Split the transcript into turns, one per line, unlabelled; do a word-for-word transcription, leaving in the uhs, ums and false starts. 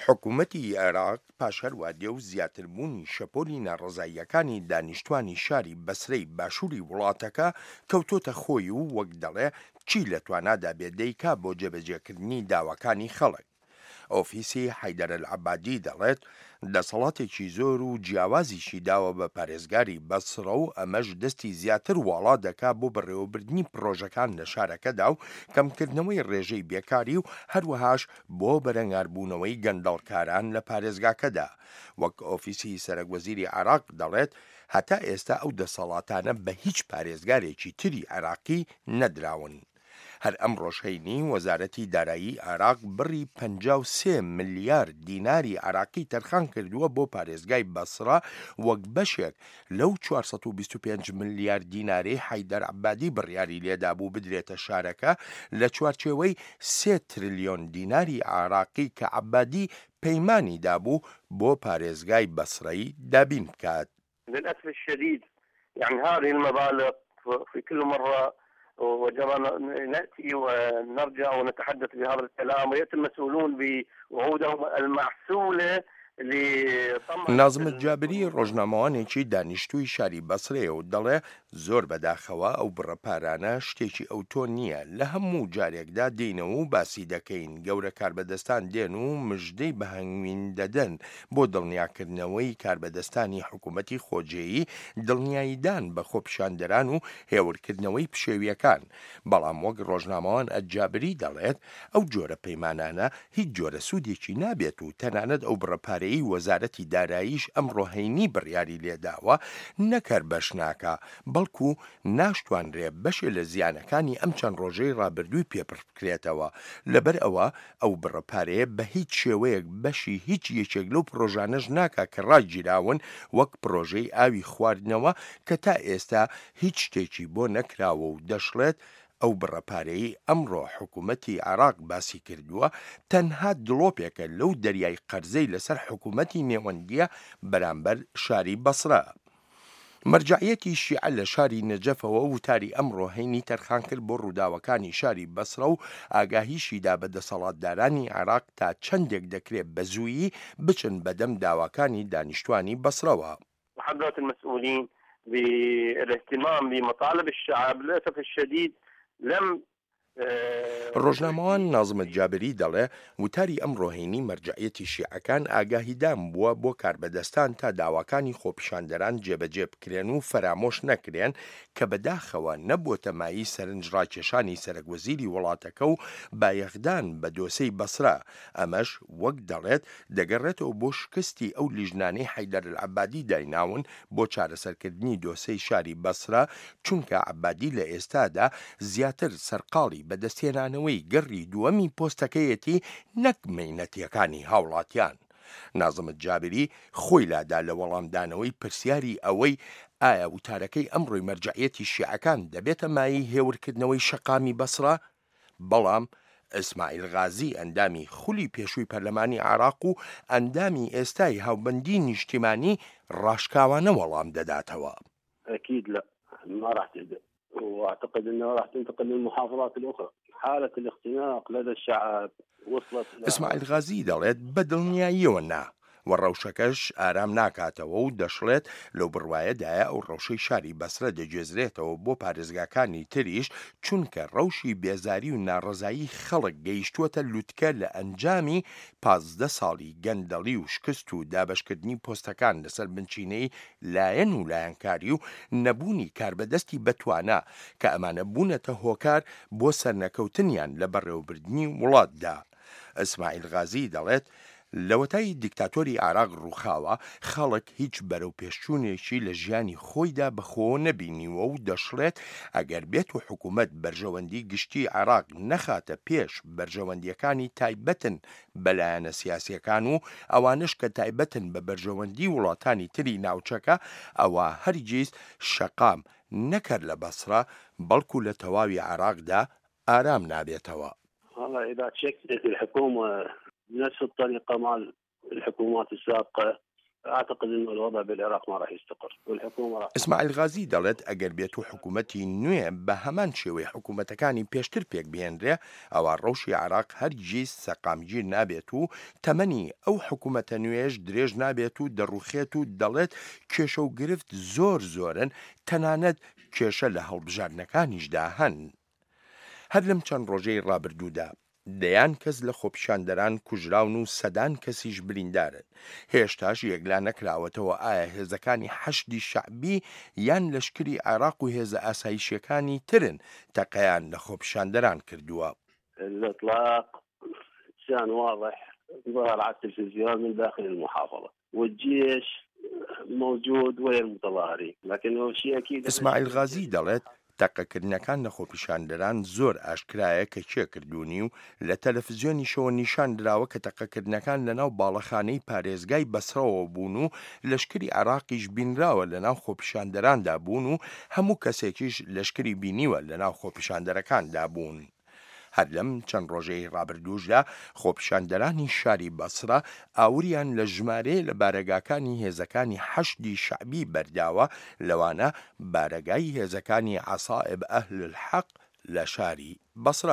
حکومەتی عێراق پاش هەروادێ و زیاتربوونی شەپۆلی ناڕەزاییەکانی دانیشتوانی شاری بەسرەی باشووری وڵاتەکە کەوتۆتە خۆی و وەک دەڵێ چی لە توانادا بێ دەیکا بۆ جێبەجێکردنی داواکانی خەڵک. ئۆفیسی حەیدەر ئەلعەبادی دەڵێت دەسەڵاتێکی زۆر و جیاوازیشی داوە بە پارێزگاری بەسڕە و ئەمەش دەستی زیاتر واڵا دەکا بۆ بەڕێوەبردنی پڕۆژەکان لە شارەکەدا و کەمکردنەوەی ڕێژەی بێکاری و هەروەهاش بۆ بەرەنگاربوونەوەی گەندەڵکاران لە پارێزگاکەدا. وەک ئۆفیسی سەرەک وەزیری عێراق دەڵێت هەتا ئێستا ئەو دەسەڵاتانە بە هیچ پارێزگارێکی تری عێراقی نەدراون. هەر ئەمڕۆش هەینی وەزارەتی دارایی عێراق بڕی پەنجا و سێ ملیار دیناری عێراقی تەرخان کردووە بۆ پارێزگای بەسڕە وەک بەشێک لەو چوار سەد و بیست و پێنج ملیار دینارەی حەیدەر عەبادی بڕیاری لێدابوو بدرێتە شارەکە لە چوارچێوەی سێ ترلیۆن دیناری عێراقی کە عەبادی پەیمانی دابوو بۆ پارێزگای بەسڕەی دابین بکات.
للأسف الشديد يعني هذه المبالغ في كل مرة وجرى نأتي ونرجع ونتحدث بهذا الكلام ويأتي المسؤولون بوعودهم المعسولة لطمع
نازم الجابری ڕۆژنامەوانێکی دانیشتووی شاری بەسرەیە و دەڵێ زۆر بەداخەوە ئەو بڕە پارانە شتێکی ئەوتۆ نییە، لە هەموو جارێکدا دێنەوە و باسی دەکەین، گەورە کاربەدەستان دێن و مژدەی بەهەنگوین دەدەن بۆ دڵنیاکردنەوەی کاربەدەستانی حکوومەتی خۆجێیی، دڵنیاییدان بە خۆپیشاندەران و هێورکردنەوەی پشێویەکان. بەڵام وەک ڕۆژنامەوان ئەجابری دەڵێت ئەو جۆرە پەیمانانە هیچ جۆرە سوودێکی نابێت و تەنانەت ئەو بڕە پارەیەی وەزارەتی داراییش ئەمڕۆ هەینی بڕیاری لێداوە نەکەر بەش ناکا، بەڵکو ناشتوانرێ بەشێ لە زیانەکانی ئەم چەند ڕۆژەی ڕابردووی پێپڕ بکرێتەوە. لەبەر ئەوە ئەو بڕە پارەیە بە هیچ شێوەیەک بەشی هیچ یەکێک لەو پرۆژانەش ناکا کە ڕاگیراون، وەک پرۆژەی ئاوی خواردنەوە کە تا ئێستا هیچ شتێکی بۆ نەکراوە و دەشڵێت ئەو بڕە پارەیەی ئەمڕۆ حکوومەتی عێراق باسی کردووە تەنها دڵۆپێکە لەو دەریای قەرزەی لەسەر حکوومەتی نێوەندیە بەرامبەر شاری بەسرە. مەرجەعیەتی شیعە لە شاری نەجەفەوە وتاری ئەمڕۆ هەینی تەرخان کرد بۆ ڕووداوەکانی شاری بەسرە و ئاگاهیشیدا بە دەسەڵاتدارانی عێراق تا چەندێک دەکرێت بە زوویی بچن بەدەم داواکانی دانیشتوانی بەسرەوە.
وحضرة المسؤولين بالاهتمام بمطالب الشعب للأسف الشديد لم
ڕۆژنامەوان نازم الجابری دەڵێ وتاری ئەمڕۆ هەینی مەرجەعیەتی شیعەکان ئاگاهیدان بووە بۆ کاربەدەستان تا داواکانی خۆپیشاندەران جێبەجێ بکرێن و فەرامۆش نەکرێن کە بەداخەوە نەبووەتە مایەی سەرنج ڕاکێشانی سەرەک وەزیری وڵاتەکە و بایەخدان بە دۆسەی بەسرە. ئەمەش وەک دەڵێت دەگەڕێتەوە بۆ شکستی ئەو لیژنانەی حەیدەر العەبادی دایناون بۆ چارەسەرکردنی دۆسەی شاری بەسرە، چونکە عەبادی لە ئێستادا زیاتر سەرقاڵی بەدەستهێنانەوەی گەڕی دووەمی پۆستەکەیەتی نەک مەینەتیەکانی هاوڵاتیان. نازم الجابری خۆی لادا لە وەڵامدانەوەی پرسیاری ئەوەی ئایا وتارەکەی ئەمڕۆی مەرجەعیەتی شیعەکان دەبێتە مایەی هێورکردنەوەی شەقامی بەسرە؟ بەڵام ئیسماعیل غازی ئەندامی خولی پێشووی پەرلەمانی عێراق و ئەندامی ئێستای هاوبەندی نیشتیمانی ڕاشکاوانە وەڵام دەداتەوە.
أكيد لا، ما راح تهدأ، وأعتقد أنه راح تنتقل للمحافظات الأخرى. حالة الاختناق لدى الشعب وصلت إلى
ئیسماعیل غازی دەڵێت بەدڵنیاییەوە نا، و ڕەوشەکەش ئارام ناکاتەوە و دەشڵێت لەو بڕوایەدایە ئەو ڕەوشەی شاری بەسرە دەگوێزرێتەوە بۆ پارێزگاکانی تریش، چونکە ڕەوشی بێزاری و ناڕەزایی خەڵک گەیشتووەتە لوتکە لە ئەنجامی پازدە ساڵی گەندەڵی و شکست و دابەشکردنی پۆستەکان لەسەر بنچینەی لایەن و لایەنکاری و نەبوونی کاربەدەستی بەتوانا کە ئەمانە بوونەتە هۆکار بۆ سەرنەکەوتنیان لە بەڕێوەبردنی وڵاتدا. ئیسماعیل غازی دەڵێت لەوەتای دیکتاتۆری عێراق ڕووخاوە خەڵک هیچ بەرەو پێشچوونێکی لە ژیانی خۆیدا بەخۆوە نەبینیوە و دەشڵێت ئەگەر بێت و حکوومەت بەرژەوەندی گشتی عێراق نەخاتە پێش بەرژەوەندیەکانی تایبەتن بە لایەنە سیاسیەکان و ئەوانش کە تایبەتن بە بەرژەوەندی وڵاتانی تری ناوچەکە، ئەوە هەرگیز شەقام نەکرد لە بەسرە بەڵکو لە تەواوی عێراقدا ئارام نابێتەوە.
والله إذا تشكلت الحكومة بنفس الطريقة مع الحكومات السابقة اعتقد انه الوضع بالعراق ما راح يستقر والحكومه راح
ئیسماعیل غازی دەڵێت ئەگەر بێت و حکوومەتی نوێ بە هەمان شێوەی حکوومەتەکانی پێشتر پێک بهێنرێ، ئەوا ڕەوشی عێراق هەرگیز سەقامگیر نابێت و تەمەنی ئەو حکوومەتە نوێیەش درێژ نابێت و دەڕوخێت و دەڵێت کێشە و گرفت زۆر زۆرن، تەنانەت کێشە لە هەڵبژاردنەکانیشدا هەن. هەر لەم چەند ڕۆژەی ڕابردوودا دەیان کەس لە خۆپیشاندەران کوژراون و سەدان کەسیش بریندارن. هێشتاش یەکلا نەکراوەتەوە ئایا هێزەکانی حەشدی شەعبی یان لەشکری عێراق و هێزە ئاسایشیەکانی ترن تەقەیان لە خۆپیشاندەران کردووە.
الاطلاق كان واضح ظهر على التلفزيون من داخل المحافظة والجيش موجود ويا المتظاهرين لكنه شيء أكيد.
ئیسماعیل غازی دەڵێت تەقەکردنەکان لە خۆپیشاندەران زۆر ئاشکرایە کە کێ کردوونی و لە تەلەفزیۆنیشەوە نیشان دراوە کە تەقەکردنەکان لەناو باڵەخانەی پارێزگای بەسرەوە بوون و لەشکری عێراقیش بینراوە لەناو خۆپیشاندەراندا بوون و هەموو کەسێکیش لەشکری بینیوە لەناو خۆپیشاندەرەکاندا بوون. هەر لەم چەند ڕۆژەی ڕابردووشدا خۆپیشاندەرانی شاری بەسرە ئاوریان لە ژمارەیە لە بارەگاکانی هێزەکانی حەشدی شەعبی بەرداوە، لەوانە بارەگای هێزەکانی عەسائب ئەهل الحەق لە شاری بەسرە.